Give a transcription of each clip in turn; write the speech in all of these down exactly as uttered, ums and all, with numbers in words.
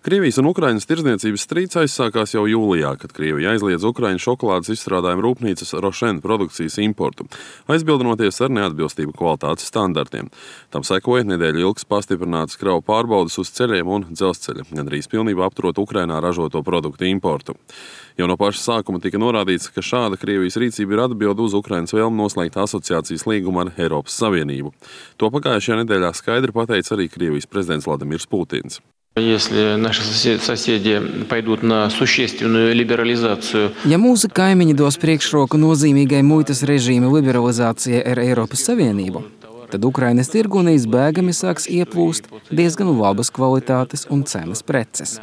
Krievijas un Ukrainas tirdzniecības strīds aizsākās jau jūlijā, kad Krievija aizliedz Ukraiņu šokolādes izstrādājumu rūpnīcas Rošen produkcijas importu, aizbildinoties ar neatbilstību kvalitātes standartiem. Tam sekoja nedēļu ilgs pastiprinātas kravu pārbaudes uz ceļiem un dzelzceļa, gandrīz pilnībā apturot Ukrainā ražoto produktu importu. Jau no paša sākuma tika norādīts, ka šāda Krievijas rīcība ir atbilde uz Ukrainas vēlmi noslēgt asociācijas līgumu ar Eiropas Savienību. To pagājušajā nedēļā skaidri pateica arī Krievijas prezidents Vladimirs Putins. Если наши соседи пойдут на существенную либерализацию. Ja mūsu kaimiņi dos priekšroku nozīmīgai muitas režīma liberalizācijai ar Eiropas Savienību, tad Ukrainas tirgu neizbēgami sāks ieplūst diezgan labas kvalitātes un cenas preces,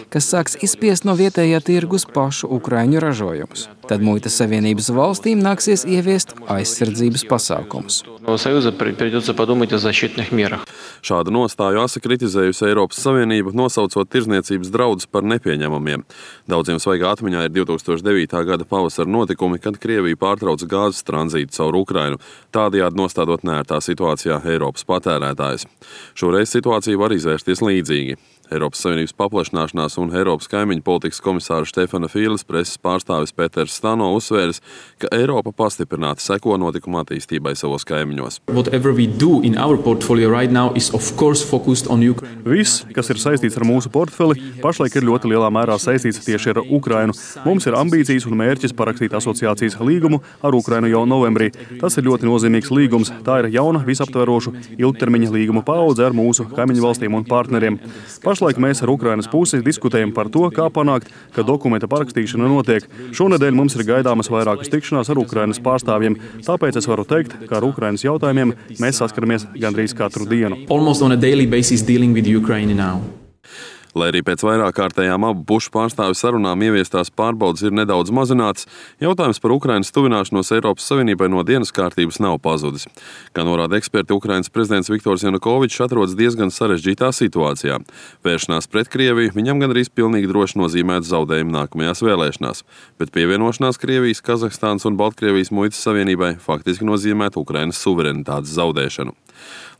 kas sāks izspiest no vietējā tirgus pašu ukraiņu ražojumus. Tad muitas savienības valstīm nāksies ieviest aizsardzības pasākumus. Šādu nostāju asi kritizējusi Eiropas Savienība, nosaucot tirdzniecības draudus par nepieņemamiem. Daudziem svaigā atmiņā ir divi tūkstoši devītā gada pavasara notikumi, kad Krievija pārtrauca gāzes tranzītu caur Ukrainu, tādējādi nostādot neērtā situācijā Eiropas patērētājus. Šoreiz situācija var izvērsties līdzīgi. Eiropas Savienības paplašināšanās un Eiropas kaimiņu politikas komisāra Štefana Fīles preses pārstāvis Pēters Stano uzsvēris, ka Eiropa pastiprināti seko notikuma attīstībai savos kaimiņos. Viss, kas ir saistīts ar mūsu portfeli, pašlaik ir ļoti lielā mērā saistīts tieši ar Ukrainu. Mums ir ambīcijas un mērķis parakstīt asociācijas līgumu ar Ukrainu jau novembrī. Tas ir ļoti nozīmīgs līgums. Tā ir jauna, visaptverošu ilgtermiņa līguma paudze ar mūsu kaimiņu valstīm un partneriem. Pašlaik mēs ar Ukrainas pusi diskutējam par to, kā panākt, ka dokumenta parakstīšana notiek. Šonedēļ mums ir gaidāmas vairākas tikšanās ar Ukrainas pārstāvjiem, tāpēc es varu teikt, ka ar Ukrainas jautājumiem mēs saskaramies gandrīz katru dienu. Lai arī pēc vairāk kārtējām abu pušu pārstāvju sarunām ieviestās pārbaudes ir nedaudz mazināts, jautājums par Ukrainas tuvināšanos Eiropas Savienībai no dienas kārtības nav pazudis. Kā norāda eksperti, Ukrainas prezidents Viktors Janukovičs atrodas diezgan sarežģītā situācijā. Vēršanās pret Krieviju viņam gandrīz pilnīgi droši nozīmētu zaudējumu nākamajās vēlēšanās, bet pievienošanās Krievijas, Kazahstānas un Baltkrievijas muitas savienībai faktiski nozīmētu Ukrainas suverenitātes zaudēšanu.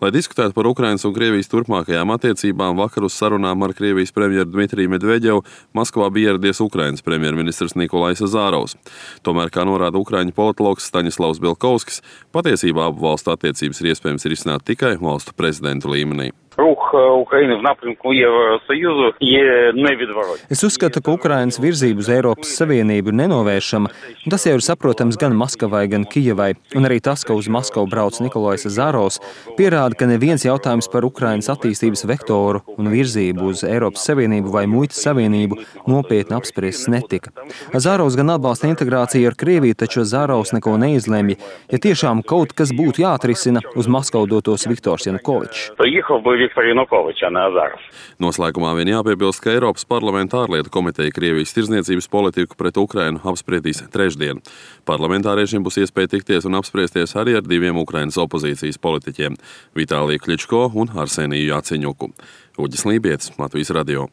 Lai diskutētu par Ukrainas un Krievijas turpmākajām attiecībām, vakar uz sarunām ar Krievijas premjeru Dmitriju Medveģevu Maskavā bija ieradies Ukrainas premjerministrs Nikolais Azarovs. Tomēr, kā norāda ukraiņu politologs Staņislavs Belkovskis, patiesībā abu valstu attiecības ir iespējams risināt tikai valstu prezidentu līmenī. Es uzskatu, ka Ukrainas virzība uz Eiropas Savienību ir nenovēršama, un tas jau ir saprotams gan Maskavai, gan Kijevai, un arī tas, ka uz Maskavu brauc Nikolais Azarovs, pierāda, ka neviens jautājums par Ukrainas attīstības vektoru un virzību uz Eiropas Savienību vai muitas savienību nopietni apspriests netika. Azarovs gan atbalsta integrāciju ar Krieviju, taču Azarovs neko neizlemj, ja tiešām kaut kas būtu jāatrisina, uz Maskavu dotos Viktors Janukovičs. Noslēgumā vien jāpiebilst, ka Eiropas parlamenta ārlietu komiteja Krievijas tirdzniecības politiku pret Ukrainu apspriedīs trešdien. Parlamentāriešiem būs iespēja tikties un apspriesties arī ar diviem Ukrainas opozīcijas politiķiem – Vitāliju Kļičko un Arseniju Jaceņuku. Uģis Lībietis, Latvijas radio.